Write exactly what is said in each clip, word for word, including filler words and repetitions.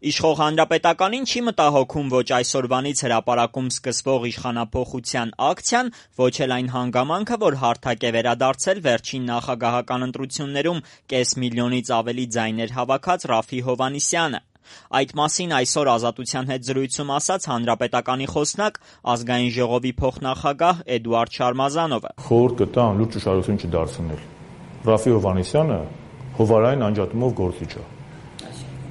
Իշխող Հանրապետականին չի մտահոգում ոչ այսօրվանից հրապարակում սկսվող իշխանափոխության ակցիան, ոչ էլ այն հանգամանքը, որ հարթակ է վերադարձել վերջին նախագահական ընտրություններում կես միլիոնից ավելի ձայներ հավաքած Րաֆֆի Հովհաննիսյանը: Այդ մասին այսօր Ազատության հետ զրույցում ասաց Հանրապետականի խոսնակ, Ազգային ժողովի փոխնախագահ Էդուարդ Շարմազանովը: Խորհուրդ կտա անլուրջ ուշադրություն չդարձնել: Րաֆֆի Հովհաննիսյանը հովանային անջատումով գործիչ է: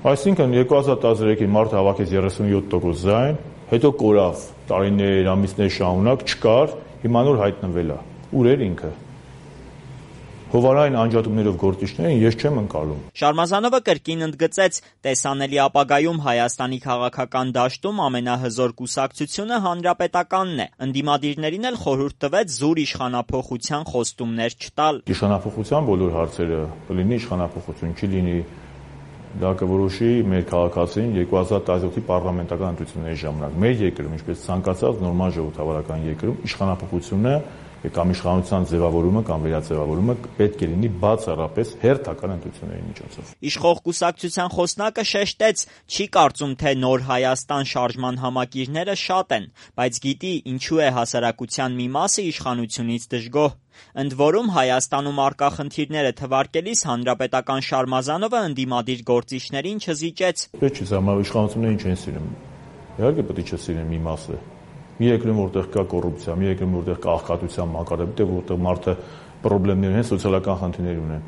Այսինքն երկու հազար տասներեքին մարդը հավաքեց երեսունյոթ տոկոս ձայն, հետո կորավ տարիներ, ամիսներ շարունակ, չկար, հիմա նոր հայտնվել է: Ուր էր ինքը: Հովանային անջատումներով գործիչներին ես չեմ ընկալում: Շարմազանովը կրկին ընդգծեց՝ տեսանելի ապագայում Հայաստանի քաղաքական դաշտում ամենահզոր կուսակցությունը Հանրապետականն է: Ընդդիմադիրներին էլ խորհուրդ տվեց զուր իշխանափոխության խոստումներ չտալ: Իշխանափոխության բոլոր հարցերը կլինի իշխանափոխություն, չի լինի, դա կորոշի մեր քաղաքացին երկու հազար տասնյոթի պառլամենտական ընտրությունների ժամանակ: Մեր երկրում, ինչպես ցանկացած նորմալ ժողովրդավարական երկրում, իշխանափոխությունը կամ իշխանության ձևավորումը կամ վերաձևավորումը պետք է լինի բացառապես հերթական ընտրությունների միջոցով: Իշխող կուսակցության խոսնակը շեշտեց՝ չի կարծում, թե Նոր Հայաստան շարժման համակիրները շատ են, բայց գիտի ինչու է հասարակության մի մասը իշխանությունից դժգոհ: Ընդ որում, Հայաստանում առկա խնդիրները թվարկելիս հանրապետական Շարմազանովը ընդդիմադիր գործիչներին չզիջեց: Իշխանություններին չեն սիրում: Իհարկե պետք է չսիրեն մի մասը: Մի երկրում, որտեղ կա կոռուպցիա, մի երկրում, որտեղ կա աղքատության մակարդակ, որտեղ մարդը պրոբլեմներ ունեն, սոցիալական խնդիրներ ունեն,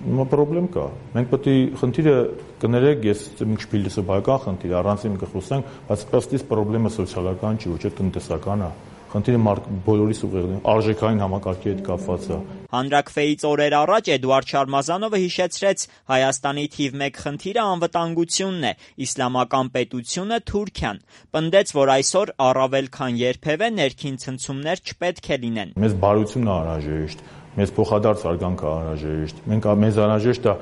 հիմա պրոբլեմ կա: Մենք պետք է խնդիրը կներեք, ես մի քիչ փիլիսոփայական խնդիր է, առանց իմ կխոսենք, բայց ըստ իս պրոբլեմը սոցիալական չի, ոչ էլ տնտեսական է: Խնդիրը բոլորիս ուղղակի արժեքային համակարգի հետ կապված է: Հանրաքվեից օրեր առաջ Էդուարդ Շարմազանովը հիշեցրեց՝ Հայաստանի թիվ մեկ խնդիրը անվտանգությունն է, իսլամական պետությունը Թուրքիան: Պնդեց, որ այսօր առավել քան երբևէ ներքին ցնցումներ չպետք է լինեն: Մեզ բարությունն է անհրաժեշտ, մեզ փոխադարձ հարգանքը անհրաժեշտ, մեզ անհրաժեշտ է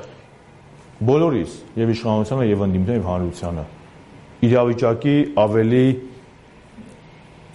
բոլորիս, և իշխանությանը, և ընդդիմությանը, և հանրությանը իրավիճակի ավելի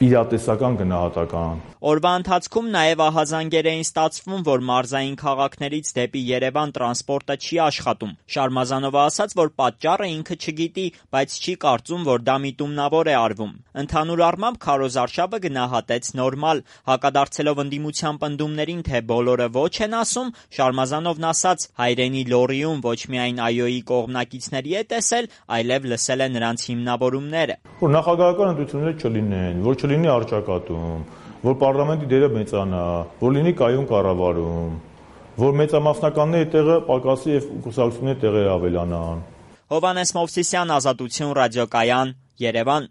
իրատեսական գնահատական: Օրվա ընթացքում նաև ահազանգեր էին ստացվում, որ մարզային քաղաքներից դեպի Երևան տրանսպորտը չի աշխատում: Շարմազանովը ասաց, որ պատճառը ինքը չգիտի, բայց չի կարծում, որ դա միտումնավոր է արվում: Ընդհանուր առմամբ քարոզարշավը գնահատեց նորմալ: Հակադարձելով ընդդիմության պնդումներին, թե բոլորը ոչ են ասում, Շարմազանովն ասաց՝ հայրենի լոռիում ոչ միայն ԱՅՈ-ի կողմնակիցների է տեսել, այլև լսել է նրանց հիմնավորումները: Որ նախագահական ընտրություններ չլինեն, որ չլինի առճակատում, որ պառլամենտի դերը մեծանա, որ լինի կայուն կառավարում, որ մեծամասնականների տեղը պակասի և կուսակցությունների տեղերը ավելանան: Հովհաննես Մովսիսյան, Ազատություն ռադիոկայան, Երևան: